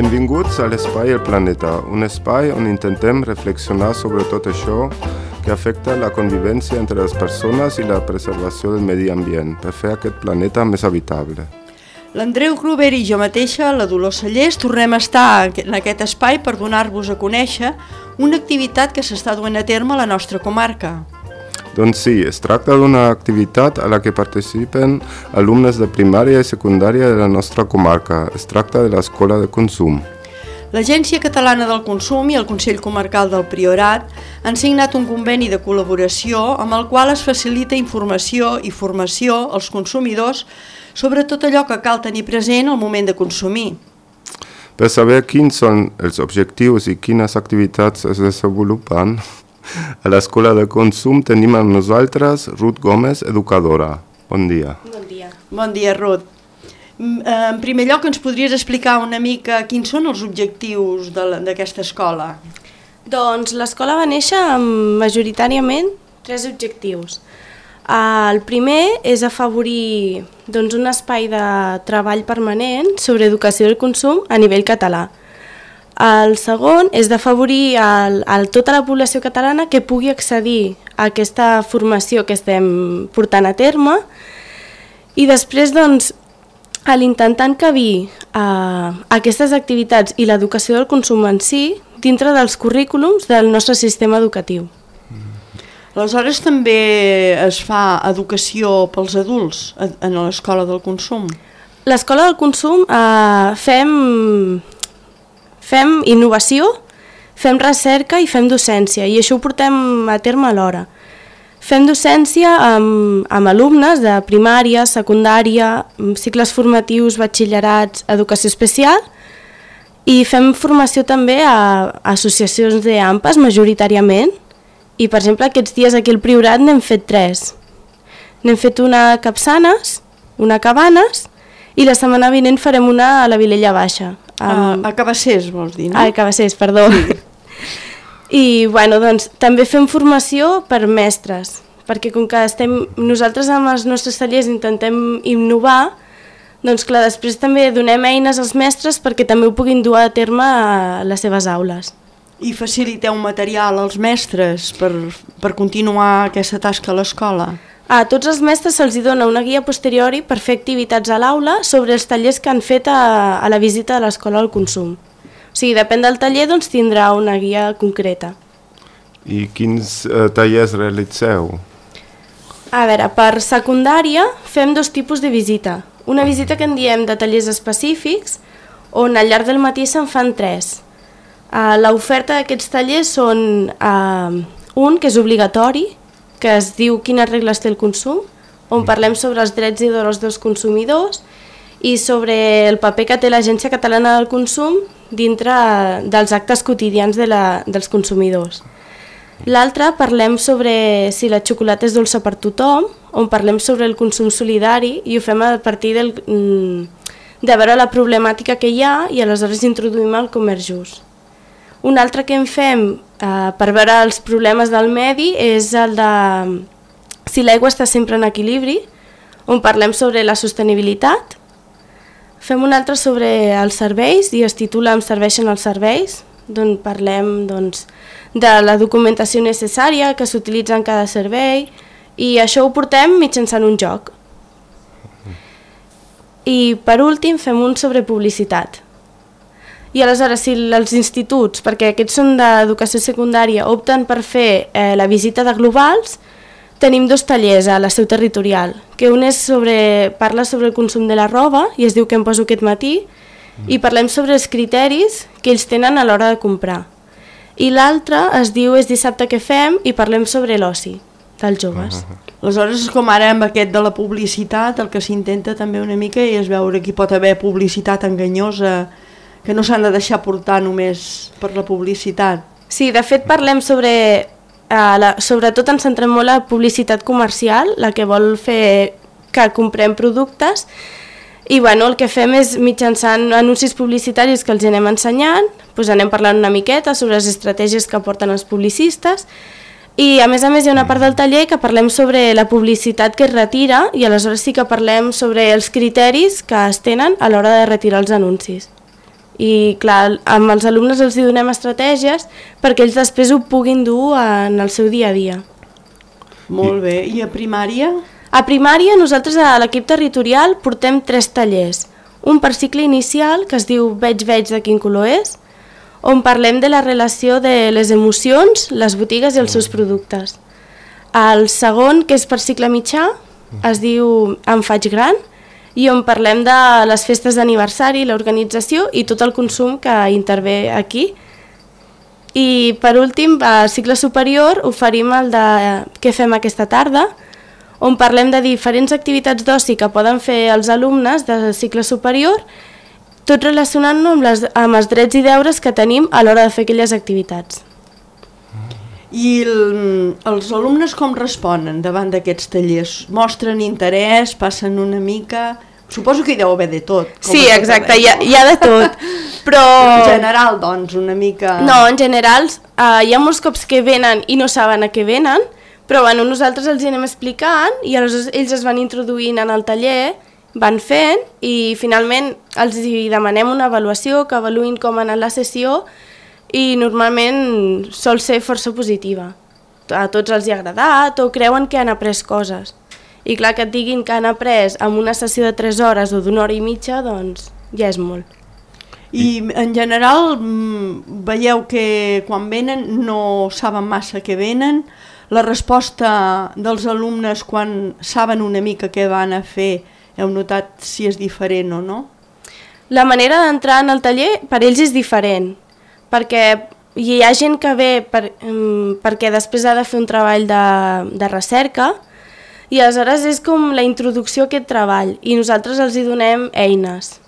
Benvinguts a l'Espai El Planeta, un espai on intentem reflexionar sobre tot això que afecta la convivència entre les persones i la preservació del medi ambient per fer aquest planeta més habitable. L'Andreu Gruber i jo mateixa, la Dolors Sallés, tornem a estar en aquest espai per donar-vos a conèixer una activitat que s'està duent a terme a la nostra comarca. Doncs sí, es tracta d'una activitat a la que participen alumnes de primària i secundària de la nostra comarca. Es tracta de l'Escola de Consum. L'Agència Catalana del Consum i el Consell Comarcal del Priorat han signat un conveni de col·laboració amb el qual es facilita informació i formació als consumidors sobre tot allò que cal tenir present al moment de consumir. Per saber quins són els objectius i quines activitats es desenvolupen, a l'Escola de Consum tenim amb nosaltres Ruth Gómez, educadora. Bon dia. Bon dia. Bon dia, Ruth. En primer lloc, ens podries explicar una mica quins són els objectius d'aquesta escola? Doncs l'escola va néixer amb majoritàriament 3 objectius. El primer és afavorir un espai de treball permanent sobre educació del consum a nivell català. El segon és d'afavorir tota la població catalana que pugui accedir a aquesta formació que estem portant a terme i després, a l'intentar encabir aquestes activitats i l'educació del consum en si dintre dels currículums del nostre sistema educatiu. Aleshores també es fa educació pels adults en l'Escola del Consum? L'escola del consum fem innovació, fem recerca i fem docència, i això ho portem a terme alhora. Fem docència amb alumnes de primària, secundària, cicles formatius, batxillerats, educació especial, i fem formació també a associacions d'AMPAs majoritàriament, i per exemple aquests dies aquí al Priorat n'hem fet 3. N'hem fet una a Capçanes, una a Cabanes, i la setmana vinent farem una a la Vilella Baixa. A Cabassers, vols dir, no? A Cabassers, perdó. I també fem formació per mestres, perquè com que nosaltres amb els nostres tallers intentem innovar, doncs clar, després també donem eines als mestres perquè també ho puguin dur a terme a les seves aules. I faciliteu material als mestres per continuar aquesta tasca a l'escola? A tots els mestres se'ls dona una guia posteriori per fer activitats a l'aula sobre els tallers que han fet a la visita de l'Escola del Consum. O sigui, depèn del taller, tindrà una guia concreta. I quins tallers realitzeu? A veure, per secundària fem 2 tipus de visita. Una visita que en diem de tallers específics, on al llarg del matí se'n fan 3. L'oferta d'aquests tallers són un que és obligatori, que es diu Quines regles té el consum, on parlem sobre els drets i deures dels consumidors i sobre el paper que té l'Agència Catalana del Consum dintre dels actes quotidians dels consumidors. L'altre parlem sobre si la xocolata és dolça per tothom, on parlem sobre el consum solidari i ho fem a partir de veure la problemàtica que hi ha i aleshores introduïm el comerç just. Un altre que en fem per veure els problemes del medi és el de si l'aigua està sempre en equilibri, on parlem sobre la sostenibilitat. Fem un altre sobre els serveis i es titula Em serveixen els serveis, on parlem de la documentació necessària que s'utilitza en cada servei i això ho portem mitjançant un joc. I per últim fem un sobre publicitat. I aleshores, si els instituts, perquè aquests són d'educació secundària, opten per fer la visita de globals, tenim 2 tallers a la seu territorial, que un parla sobre el consum de la roba, i es diu que em poso aquest matí, i parlem sobre els criteris que ells tenen a l'hora de comprar. I l'altre es diu És dissabte què fem, i parlem sobre l'oci dels joves. Aleshores, com ara amb aquest de la publicitat, el que s'intenta també una mica és veure que hi pot haver publicitat enganyosa, que no s'han de deixar portar només per la publicitat. Sí, de fet parlem sobretot ens centrem molt a la publicitat comercial, la que vol fer que comprem productes, i el que fem és mitjançant anuncis publicitaris que els anem ensenyant, anem parlant una miqueta sobre les estratègies que porten els publicistes, i a més hi ha una part del taller que parlem sobre la publicitat que es retira i aleshores sí que parlem sobre els criteris que es tenen a l'hora de retirar els anuncis. I clar, amb els alumnes els donem estratègies perquè ells després ho puguin dur en el seu dia a dia. Molt bé. I a primària? A primària nosaltres a l'equip territorial portem 3 tallers. Un per cicle inicial que es diu Veig de quin color és, on parlem de la relació de les emocions, les botigues i els seus productes. El segon, que és per cicle mitjà, es diu Em faig gran, i on parlem de les festes d'aniversari, l'organització i tot el consum que intervé aquí. I per últim, a cicle superior, oferim el de Què fem aquesta tarda, on parlem de diferents activitats d'oci que poden fer els alumnes de cicle superior, tot relacionant-ho amb els drets i deures que tenim a l'hora de fer aquelles activitats. I els alumnes com responen davant d'aquests tallers? Mostren interès, passen una mica... Suposo que hi deu haver de tot. Sí, exacte, hi ha de tot. Però en general, doncs, una mica... No, en general, hi ha molts cops que venen i no saben a què venen, però bueno, nosaltres els anem explicant i aleshores ells es van introduint en el taller, van fent i finalment els demanem una avaluació, que avaluïn com ha anat la sessió, i normalment sol ser força positiva. A tots els hi ha agradat o creuen que han après coses. I clar, que et diguin que han après amb una sessió de 3 hores o d'1 hora i mitja, doncs ja és molt. I en general veieu que quan venen no saben massa què venen, la resposta dels alumnes quan saben una mica què van a fer, heu notat si és diferent o no? La manera d'entrar en el taller per ells és diferent, perquè hi ha gent que ve perquè després ha de fer un treball de recerca i aleshores és com la introducció a aquest treball i nosaltres els hi donem eines.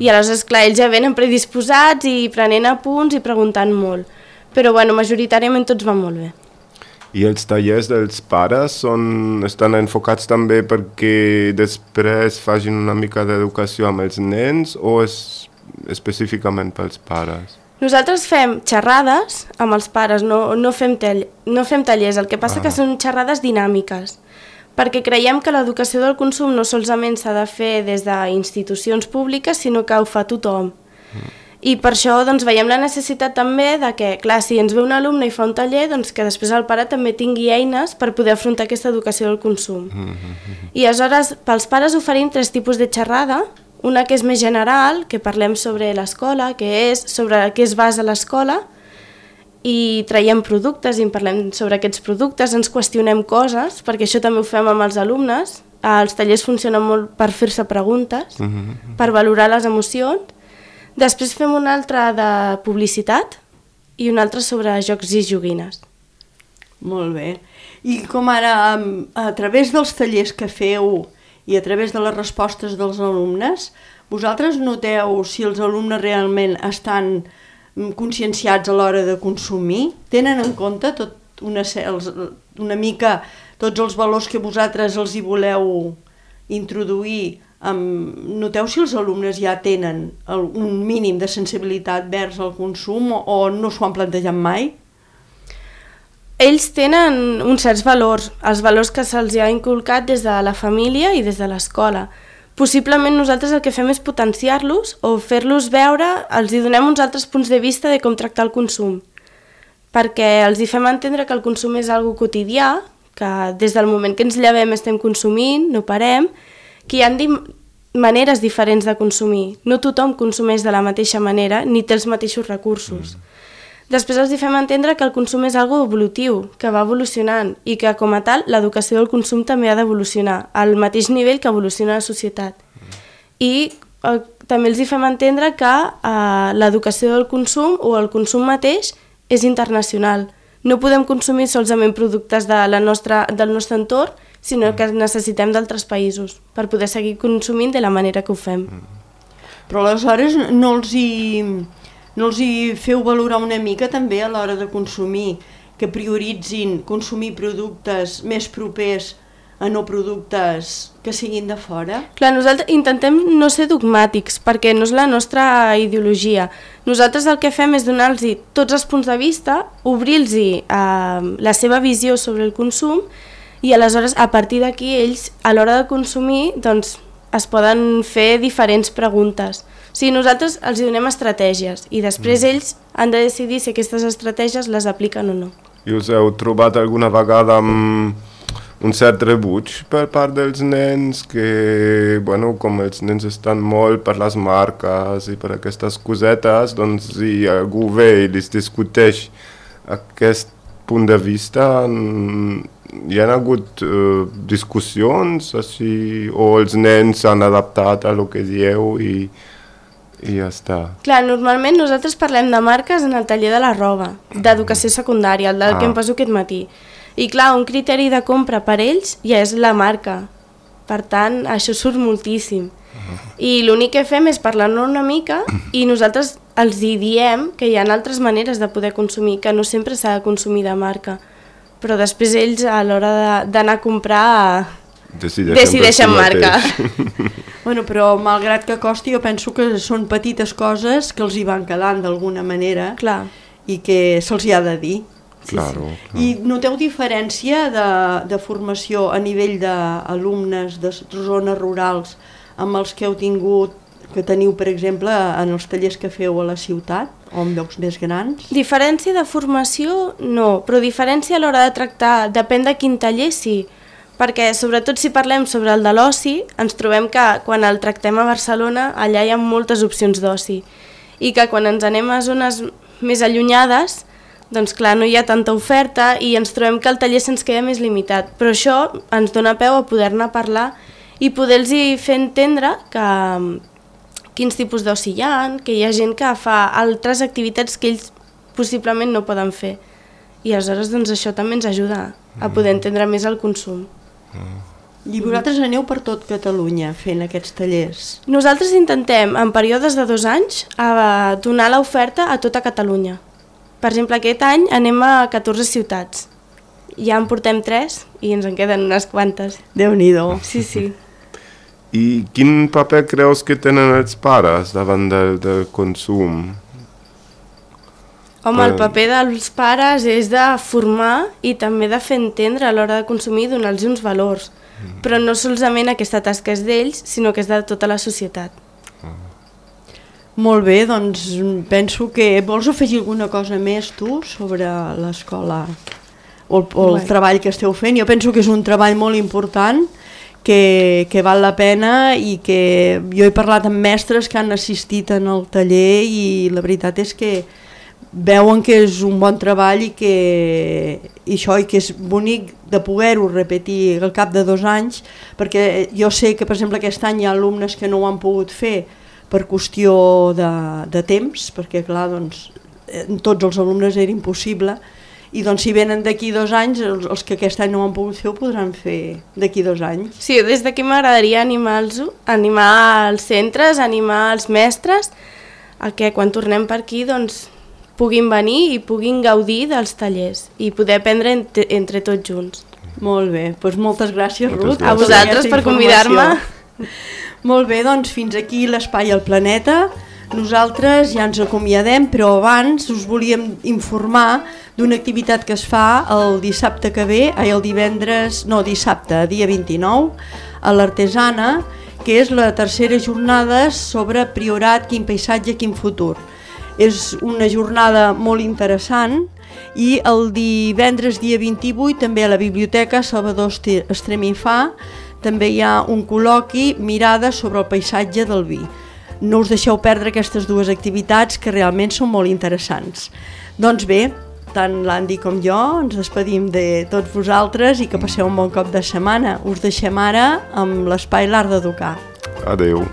I aleshores, clar, ells ja venen predisposats i prenent apunts i preguntant molt, però bueno, majoritàriament tots van molt bé. I els tallers dels pares estan enfocats també perquè després facin una mica d'educació amb els nens o és específicament pels pares? Nosaltres fem xerrades amb els pares, no fem tallers, el que passa que són xerrades dinàmiques, perquè creiem que l'educació del consum no solament s'ha de fer des d'institucions públiques, sinó que ho fa tothom. I per això doncs, veiem la necessitat també de que, clar, si ens ve un alumne i fa un taller, doncs que després el pare també tingui eines per poder afrontar aquesta educació del consum. I aleshores, pels pares oferim 3 tipus de xerrada, una que és més general, que parlem sobre l'escola, que és sobre què es basa l'escola, i traiem productes i en parlem sobre aquests productes, ens qüestionem coses, perquè això també ho fem amb els alumnes. Els tallers funcionen molt per fer-se preguntes, per valorar les emocions. Després fem un altre de publicitat i un altre sobre jocs i joguines. Molt bé. I com ara, a través dels tallers que feu i a través de les respostes dels alumnes, vosaltres noteu si els alumnes realment estan conscienciats a l'hora de consumir? Tenen en compte una mica tots els valors que vosaltres els hi voleu introduir? Noteu si els alumnes ja tenen un mínim de sensibilitat vers el consum o no s'ho han plantejat mai? Ells tenen uns certs valors, els valors que se'ls ha inculcat des de la família i des de l'escola. Possiblement nosaltres el que fem és potenciar-los o fer-los veure, els hi donem uns altres punts de vista de com tractar el consum, perquè els hi fem entendre que el consum és algo quotidià, que des del moment que ens llevem estem consumint, no parem, que hi ha maneres diferents de consumir. No tothom consumeix de la mateixa manera ni té els mateixos recursos. Després els fem entendre que el consum és algo evolutiu, que va evolucionant i que com a tal l'educació del consum també ha d'evolucionar al mateix nivell que evoluciona la societat. I també els fem entendre que l'educació del consum o el consum mateix és internacional. No podem consumir solament productes del nostre entorn, sinó que necessitem d'altres països per poder seguir consumint de la manera que ho fem. Però aleshores no els hi feu valorar una mica també a l'hora de consumir, que prioritzin consumir productes més propers a no productes que siguin de fora? Clar, nosaltres intentem no ser dogmàtics, perquè no és la nostra ideologia. Nosaltres el que fem és donar-los tots els punts de vista, obrir-los la seva visió sobre el consum i aleshores a partir d'aquí ells a l'hora de consumir doncs, es poden fer diferents preguntes O sigui, nosaltres els donem estratègies i després ells han de decidir si aquestes estratègies les apliquen o no. I us heu trobat alguna vegada amb un cert rebuig per part dels nens, que, bueno, com els nens estan molt per les marques i per aquestes cosetes, doncs si algú ve i els discuteix aquest punt de vista, hi ha hagut discussions així, o els nens s'han adaptat a lo que dieu i ja està. Clar, normalment nosaltres parlem de marques en el taller de la roba, d'educació secundària, el del que em passo aquest matí. I clar, un criteri de compra per ells ja és la marca. Per tant, això surt moltíssim. I l'únic que fem és parlar-ne una mica i nosaltres els diem que hi ha altres maneres de poder consumir, que no sempre s'ha de consumir de marca. Però després ells, a l'hora d'anar a comprar, decideixen marca. Bueno, però malgrat que costi, jo penso que són petites coses que els hi van quedant d'alguna manera. Clar. I que se'ls hi ha de dir. Claro. I noteu diferència de formació a nivell d'alumnes de zones rurals amb els que heu tingut, que teniu, per exemple, en els tallers que feu a la ciutat o en llocs més grans? Diferència de formació no, però diferència a l'hora de tractar, depèn de quin taller sí, perquè sobretot si parlem sobre el de l'oci, ens trobem que quan el tractem a Barcelona allà hi ha moltes opcions d'oci i que quan ens anem a zones més allunyades, doncs clar, no hi ha tanta oferta i ens trobem que el taller se'ns queda més limitat, però això ens dona peu a poder-ne parlar i poder-los fer entendre que quins tipus d'oci hi ha, que hi ha gent que fa altres activitats que ells possiblement no poden fer. I aleshores doncs, això també ens ajuda a poder entendre més el consum. I vosaltres aneu per tot Catalunya fent aquests tallers? Nosaltres intentem, en períodes de 2 anys, donar l'oferta a tota Catalunya. Per exemple, aquest any anem a 14 ciutats. Ja en portem 3 i ens en queden unes quantes. Déu-n'hi-do. Sí, sí. I quin paper creus que tenen els pares davant del consum? Home, el paper dels pares és de formar i també de fer entendre a l'hora de consumir i donar-los uns valors. Però no solament aquesta tasca és d'ells, sinó que és de tota la societat. Molt bé, doncs penso que... Vols afegir alguna cosa més tu sobre l'escola o el treball que esteu fent? Jo penso que és un treball molt important, que val la pena i que jo he parlat amb mestres que han assistit en el taller i la veritat és que veuen que és un bon treball i que és bonic de poder-ho repetir al cap de 2 anys, perquè jo sé que per exemple aquest any hi ha alumnes que no ho han pogut fer per qüestió de temps, perquè clar, doncs, tots els alumnes era impossible, i doncs si venen d'aquí 2 anys, els que aquest any no ho han pogut fer ho podran fer d'aquí 2 anys. Sí, des d'aquí m'agradaria animar els centres, animar els mestres, a que quan tornem per aquí doncs, puguin venir i puguin gaudir dels tallers i poder aprendre entre tots junts. Molt bé, doncs moltes gràcies, Ruth. A vosaltres per convidar-me. Molt bé, doncs fins aquí l'Espai al Planeta. Nosaltres ja ens acomiadem, però abans us volíem informar d'una activitat que es fa el dissabte que ve, dissabte, dia 29, a l'Artesana, que és la tercera jornada sobre Priorat, quin paisatge, quin futur. És una jornada molt interessant i el divendres dia 28 també a la Biblioteca Salvador Estremifà també hi ha un col·loqui mirada sobre el paisatge del vi. No us deixeu perdre aquestes 2 activitats que realment són molt interessants. Doncs bé, tant l'Andy com jo ens despedim de tots vosaltres i que passeu un bon cop de setmana. Us deixem ara amb l'espai L'Art d'Educar. Adeu.